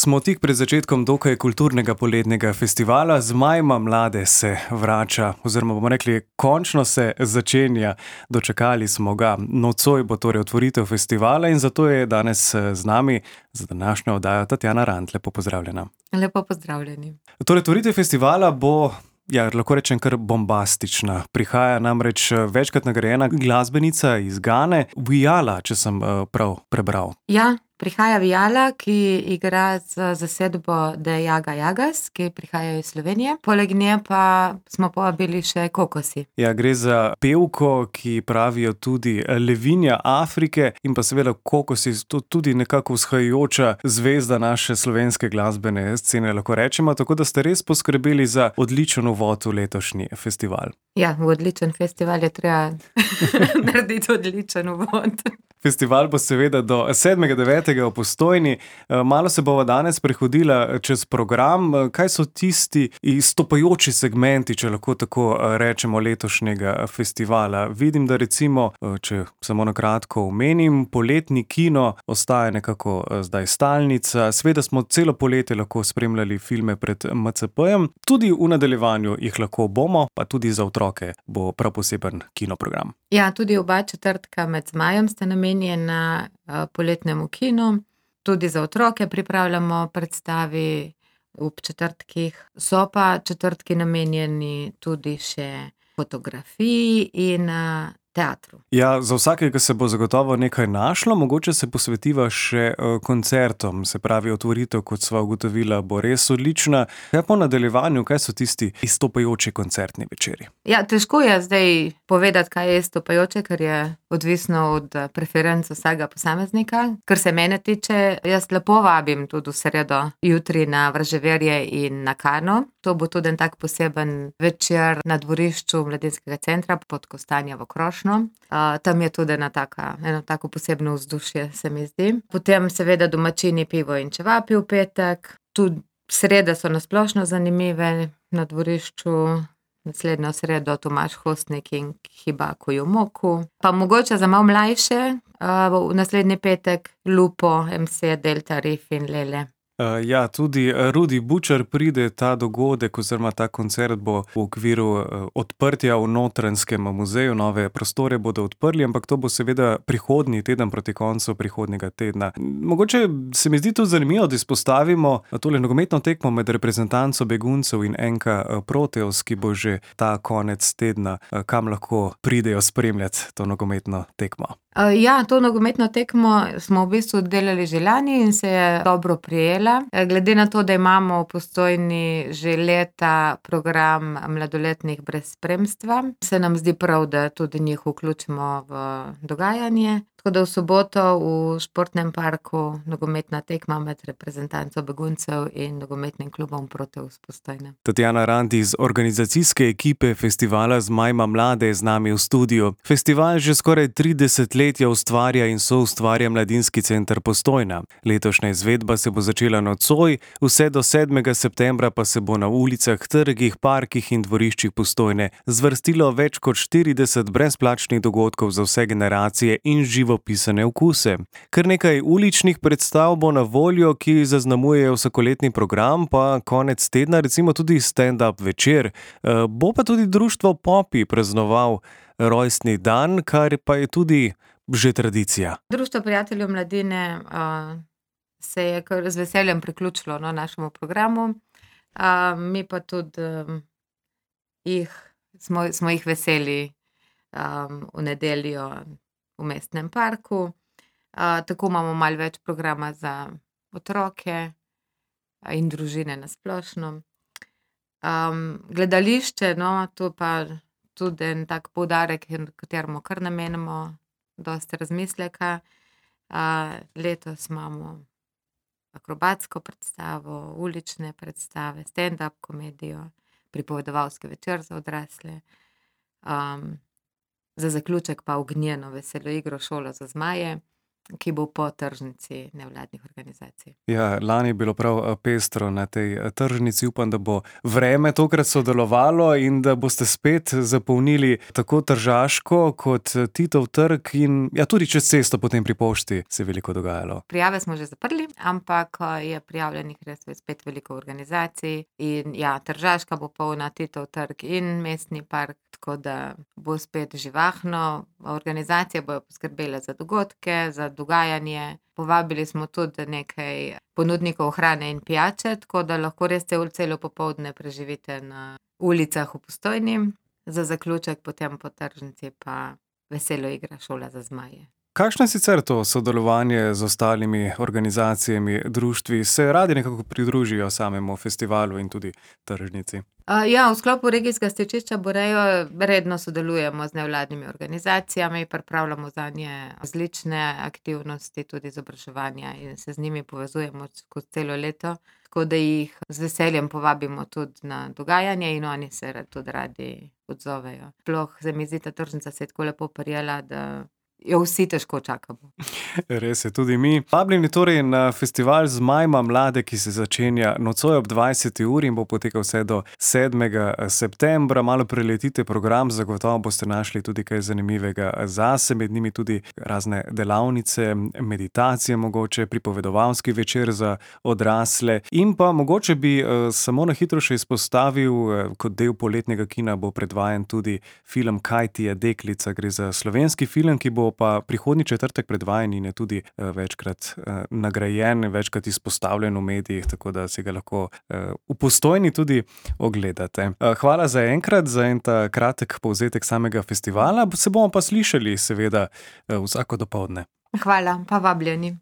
Smo tik pred začetkom dokaj kulturnega poletnega festivala. Zmajma mlade se vrača, oziroma bomo rekli, končno se začenja. Dočakali smo ga. Nocoj bo torej otvoritev festivala in zato je danes z nami za današnjo oddajo Tatjana Rant. Lepo pozdravljena. Lepo pozdravljeni. Torej, otvoritev festivala bo, lahko rečem, kar bombastična. Prihaja namreč večkrat nagrajena glasbenica iz Gane, Vijala, če sem prav prebral. Ja, prihaja Vijala, ki igra z zasedbo The Jaga Jagas, ki prihajajo iz Slovenije. Poleg nje pa smo povabili še Kokosi. Ja, gre za pevko, ki pravijo tudi levinja Afrike, in pa seveda Kokosi, tudi nekako vzhajajoča zvezda naše slovenske glasbene scene, lahko rečemo, tako da ste res poskrbeli za odličen uvod v letošnji festival. Ja, v odličen festival je treba narediti odličen uvod. Festival bo seveda do 7.9. v Postojni. Malo se bova danes prehodila čez program. Kaj so tisti izstopajoči segmenti, če lahko tako rečemo, letošnjega festivala? Vidim, da recimo, če samo na kratko omenim, poletni kino ostaja nekako zdaj stalnica. Seveda smo celo poletje lahko spremljali filme pred MCP-jem. Tudi v nadaljevanju jih lahko bomo, pa tudi za otroke bo prav poseben kinoprogram. Ja, tudi oba četrtka med zmajem sta namenjena poletnemu kinu. Tudi za otroke pripravljamo predstavi ob četrtkih. So pa četrtki namenjeni tudi še fotografiji in teatru. Ja, za vsakega se bo zagotovo nekaj našlo, mogoče se posvetiva še koncertom, se pravi otvoritev, kot sva ugotovila, bo res odlična. Kaj po nadaljevanju, kaj so tisti izstopajoči koncertni večeri? Ja, težko je zdaj povedati, kaj je izstopajoče, ker je odvisno od preferenc vsakega posameznika. Kar se mene tiče, jaz lepo vabim tudi v sredo jutri na Vraževerje in na Kano. To bo tudi en tak poseben večer na dvorišču Mladinskega centra pod Kostanjevo krošnjo. Tam je tudi eno tako posebno vzdušje, se mi zdi. Potem seveda domačini, pivo in čevapi v petek. Tudi srede so nasplošno zanimive na dvorišču. Naslednjo sredo Tomaž Hostnik in Hibako Jumoku. Pa mogoče za malo mlajše, v naslednji petek Lupo, MC, Delta, Riff in Lele. Ja, tudi Rudi Bučar pride. Ta dogodek oziroma ta koncert bo v okviru odprtja v Notranjskem muzeju. Nove prostore bodo odprli, ampak to bo seveda prihodnji teden, proti koncu prihodnjega tedna. Mogoče se mi zdi tudi zanimivo, da izpostavimo tole nogometno tekmo med reprezentanco beguncev in NK Proteus, ki bo že ta konec tedna. Kam lahko pridejo spremljati to nogometno tekmo? Ja, to nogometno tekmo smo v bistvu delali že lani in se je dobro prijela. Glede na to, da imamo v Postojni že leta program mladoletnih brez spremstva, se nam zdi prav, da tudi njih vključimo v dogajanje. Tako da v soboto v športnem parku nogometna tekma med reprezentanco beguncev in nogometnim klubom Proteus Postojna. Tatjana Rant iz organizacijske ekipe festivala Zmajma mlade je z nami v studiu. Festival že skoraj 30 let ustvarja in soustvarja Mladinski center Postojna. Letošnja izvedba se bo začela nocoj, vse do 7. septembra pa se bo na ulicah, trgih, parkih in dvoriščih Postojne zvrstilo več kot 40 brezplačnih dogodkov za vse generacije in živopisane okuse. Kar nekaj uličnih predstav bo na voljo, ki zaznamujejo vsakoletni program, pa konec tedna recimo tudi stand-up večer. Bo pa tudi društvo Popi praznoval rojstni dan, kar pa je tudi že tradicija. Društvo prijateljev mladine se je kar z veseljem priključilo našemu programu. Mi pa tudi smo jih veseli v nedeljo v mestnem parku. Tako imamo malo več programa za otroke in družine na splošno. Gledališče, to pa tudi en tak poudarek, kateremu kar namenimo dosti razmisleka. Letos imamo akrobatsko predstavo, ulične predstave, stand-up komedijo, pripovedovalski večer za odrasle. Za zaključek pa ognjeno veselo igro Šolo za zmaje. ki bo po tržnici nevladnih organizacij. Ja, lani je bilo prav pestro na tej tržnici. Upam, da bo vreme tokrat sodelovalo in da boste spet zapolnili tako Tržaško kot Titov trg in ja, tudi čez cesto potem pri pošti se je veliko dogajalo. Prijave smo že zaprli, ampak je prijavljenih res spet veliko organizacij in ja, Tržaška bo polna, Titov trg in mestni park, tako da bo spet živahno. Organizacije bojo poskrbele za dogodke, za dogajanje. Povabili smo tudi nekaj ponudnikov hrane in pijače, tako da lahko res celo popoldne preživite na ulicah v Postojni. Za zaključek potem po tržnici pa veselo igra Šola za zmaje. Kakšno je sicer to sodelovanje z ostalimi organizacijami, društvi? Se radi nekako pridružijo samemu festivalu in tudi tržnici? Ja, v sklopu regijskega stičišča Borejo redno sodelujemo z nevladnimi organizacijami, pripravljamo zanje različne aktivnosti, tudi izobraževanja in se z njimi povezujemo skozi celo leto, tako da jih z veseljem povabimo tudi na dogajanje in oni se tudi radi odzovejo. Sploh se mi zdi, ta tržnica se je tako lepo prijela, da jo vsi težko čakamo. Res je, tudi mi. Vabljeni torej na festival Zmajma mlade, ki se začenja nocoj ob 20. uri in bo potekal vse do 7. septembra. Malo preletite program, zagotovo boste našli tudi kaj zanimivega zase, med njimi tudi razne delavnice, meditacije mogoče, pripovedovalski večer za odrasle in pa mogoče bi samo na hitro še izpostavil, kot del poletnega kina bo predvajan tudi film Kaj ti je deklica. Gre za slovenski film, ki bo pa prihodnji četrtek predvajan in je tudi večkrat nagrajen, večkrat izpostavljen v medijih, tako da si ga lahko v Postojni tudi ogledate. Hvala za enkrat, za en ta kratek povzetek samega festivala. Se bomo pa slišali seveda vsako dopoldne. Hvala, pa vabljeni.